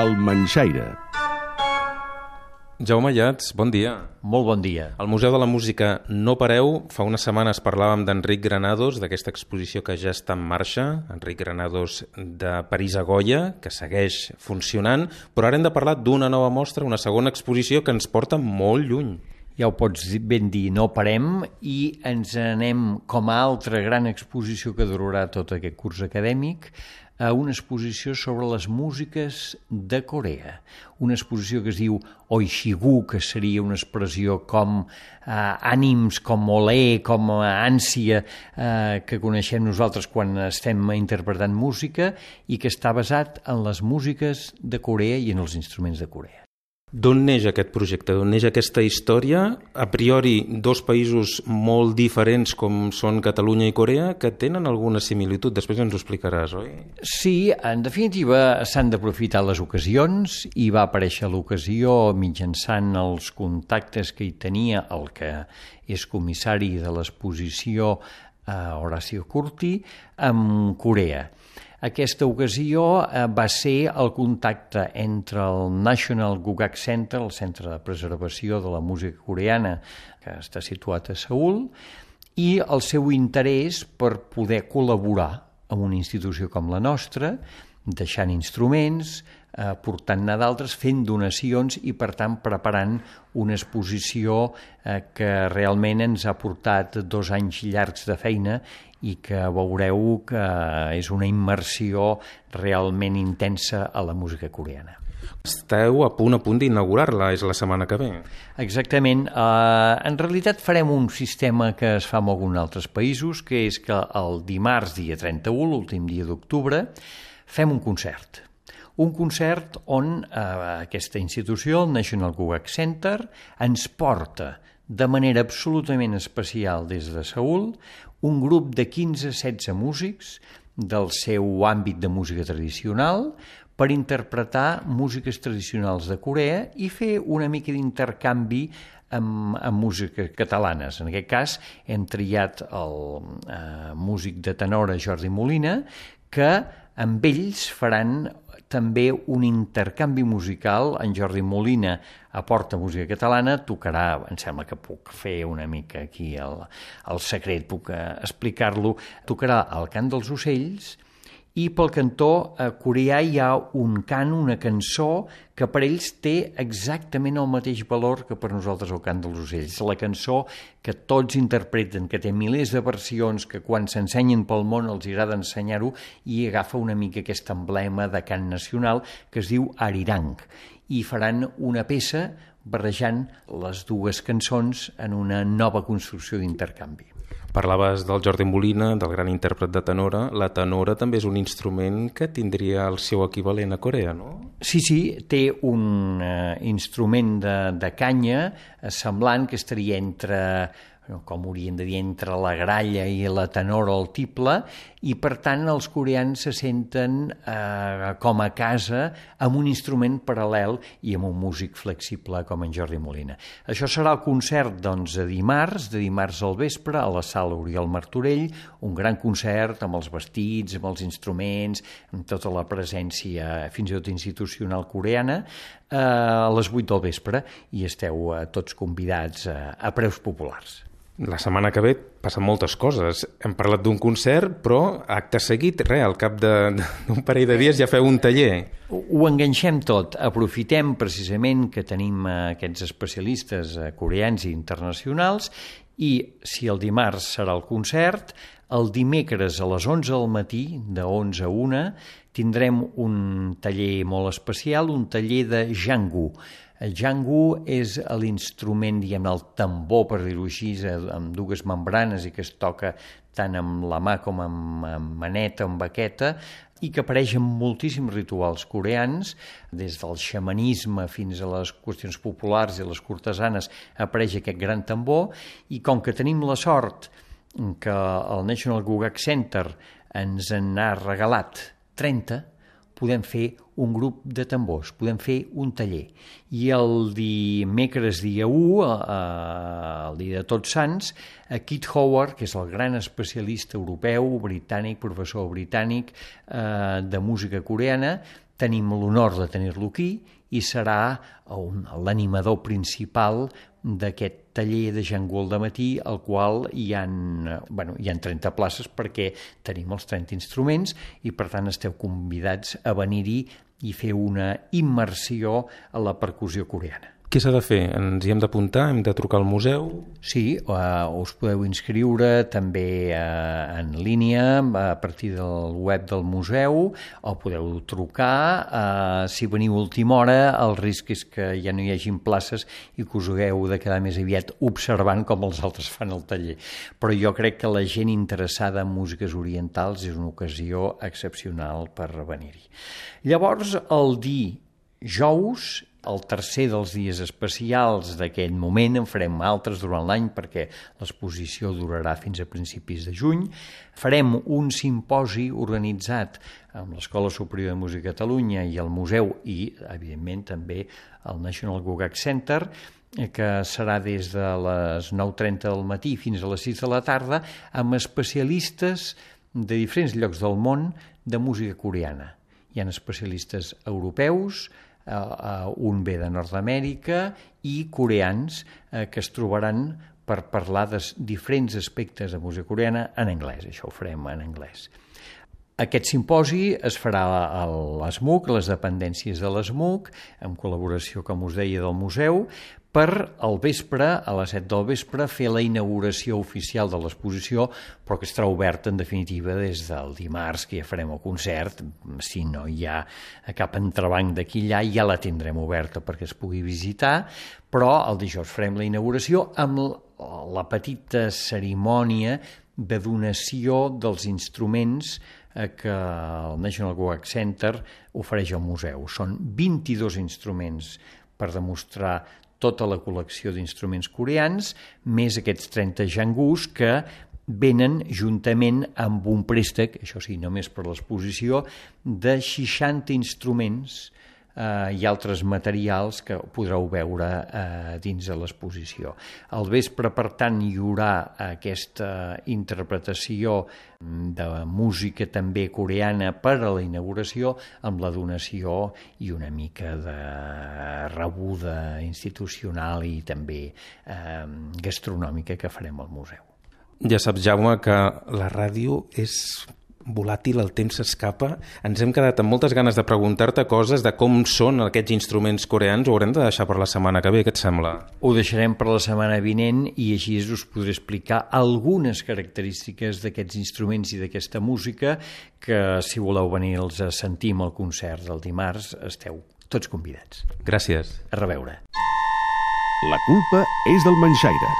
El Manxaire. Jaume Llats, bon dia. Molt bon dia. Al Museu de la Música No Pareu, fa unes setmanes parlàvem d'Enric Granados, d'aquesta exposició que ja està en marxa, Enric Granados de París a Goya, que segueix funcionant, però ara hem de parlar d'una nova mostra, una segona exposició que ens porta molt lluny. Ja ho pots ben dir, no parem i ens anem, com a altra gran exposició que durarà tot aquest curs acadèmic, a una exposició sobre les músiques de Corea. Una exposició que es diu Oishigu, que seria una expressió com ànims, com olé, com ànsia, que coneixem nosaltres quan estem interpretant música i que està basat en les músiques de Corea i en els instruments de Corea. D'on neix aquest projecte? D'on neix aquesta història? A priori, dos països molt diferents com són Catalunya i Corea, que tenen alguna similitud. Després ens ho explicaràs, oi? Sí, en definitiva s'han d'aprofitar les ocasions i va aparèixer l'ocasió mitjançant els contactes que hi tenia el que és comissari de l'exposició Horacio Curti amb Corea. Aquesta ocasió va ser el contacte entre el National Gugak Center, el Centre de Preservació de la Música Coreana, que està situat a Seül, i el seu interès per poder col·laborar amb una institució com la nostra, deixant instruments, portant-ne d'altres, fent donacions i, per tant, preparant una exposició que realment ens ha portat 2 anys llargs de feina i que veureu que és una immersió realment intensa a la música coreana. Esteu a punt d'inaugurar-la, és la setmana que ve. Exactament. En realitat farem un sistema que es fa en alguns altres països, que és que el dimarts, dia 31, l'últim dia d'octubre, fem un concert. Un concert on aquesta institució, el National Gugak Center, ens porta de manera absolutament especial des de Seül un grup de 15-16 músics del seu àmbit de música tradicional per interpretar músiques tradicionals de Corea i fer una mica d'intercanvi amb músiques catalanes. En aquest cas hem triat el músic de tenora Jordi Molina, que amb ells faran també un intercanvi musical. En Jordi Molina aporta música catalana, tocarà, em sembla que puc fer una mica aquí el secret, puc explicar-lo, tocarà el cant dels ocells i pel cantó coreà hi ha un cant, una cançó que per ells té exactament el mateix valor que per nosaltres el cant dels ocells. La cançó que tots interpreten, que té milers de versions, que quan s'ensenyen pel món els agrada ensenyar-ho i agafa una mica aquest emblema de cant nacional que es diu Arirang. I faran una peça barrejant les dues cançons en una nova construcció d'intercanvi. Parlaves del Jordi Molina, del gran intèrpret de tenora. La tenora també és un instrument que tindria el seu equivalent a Corea, no? Sí, té un instrument de canya semblant que estaria entre, com hauríem de dir, entre la gralla i la tenora o el tiple, i per tant els coreans se senten com a casa amb un instrument paral·lel i amb un músic flexible com en Jordi Molina. Això serà el concert de dimarts al vespre a la sala Oriol Martorell, un gran concert amb els vestits, amb els instruments, amb tota la presència fins i tot institucional coreana, a les 8 del vespre, i esteu tots convidats a preus populars. La setmana que ve passen moltes coses. Hem parlat d'un concert, però acte seguit, al cap d'un parell de dies ja feu un taller. Ho enganxem tot. Aprofitem precisament que tenim aquests especialistes coreans i internacionals i si el dimarts serà el concert, el dimecres a les 11 del matí, de 11 a 1, tindrem un taller molt especial, un taller de jangu. El jangu és l'instrument, diguem, el tambor, per dir-ho així, amb 2 membranes i que es toca tant amb la mà com amb maneta, amb baqueta, i que apareix en moltíssims rituals coreans, des del xamanisme fins a les qüestions populars i les cortesanes apareix aquest gran tambor, i com que tenim la sort que el National Gugak Center ens en ha regalat 30, podem fer un grup de tambors, podem fer un taller. I el dimecres dia 1, el dia de Tots Sants, Keith Howard, que és el gran especialista europeu, britànic, professor britànic de música coreana, tenim l'honor de tenir-lo aquí i serà l'animador principal d'aquest taller de Jangul de matí, al qual hi ha 30 places perquè tenim els 30 instruments i per tant esteu convidats a venir-hi i fer una immersió a la percussió coreana. Què s'ha de fer? Ens hi hem d'apuntar? Hem de trucar al museu? Sí, us podeu inscriure també en línia a partir del web del museu o podeu trucar. Si veniu a última hora, el risc és que ja no hi hagin places i que us hagueu de quedar més aviat observant com els altres fan el taller. Però jo crec que la gent interessada en músiques orientals és una ocasió excepcional per venir-hi. Llavors, el dijous, el tercer dels dies especials d'aquell moment, en farem altres durant l'any perquè l'exposició durarà fins a principis de juny. Farem un simposi organitzat amb l'Escola Superior de Música de Catalunya i el museu i, evidentment, també el National Gugak Center, que serà des de les 9:30 del matí fins a les 6 de la tarda, amb especialistes de diferents llocs del món de música coreana. Hi ha especialistes europeus, un ve de Nord-Amèrica i coreans que es trobaran per parlar de diferents aspectes de música coreana en anglès. Això ho farem en anglès. Aquest simposi es farà a l'ESMUC, a les dependències de l'ESMUC, en col·laboració, com us deia, del museu, per al vespre, a les 7 del vespre, fer la inauguració oficial de l'exposició, però que estarà oberta, en definitiva, des del dimarts, que ja farem el concert. Si no hi ha cap entrebanc d'aquí allà, ja la tindrem oberta perquè es pugui visitar, però el dijous farem la inauguració amb la petita cerimònia de donació dels instruments que el National Gugak Center ofereix al museu. Són 22 instruments per demostrar tota la col·lecció d'instruments coreans, més aquests 30 jangus que venen juntament amb un préstec, això sí, només per l'exposició, de 60 instruments i altres materials que podreu veure dins de l'exposició. Al vespre, per tant, hi haurà aquesta interpretació de música també coreana per a la inauguració, amb la donació i una mica de rebuda institucional i també gastronòmica que farem al museu. Ja saps, Jaume, que la ràdio és volàtil, el temps s'escapa. Ens hem quedat amb moltes ganes de preguntar-te coses de com són aquests instruments coreans. Ho haurem de deixar per la setmana que ve, què et sembla? Ho deixarem per la setmana vinent i així us podré explicar algunes característiques d'aquests instruments i d'aquesta música que, si voleu venir-los a sentir al concert del dimarts, esteu tots convidats. Gràcies. A reveure. La culpa és del manxaire.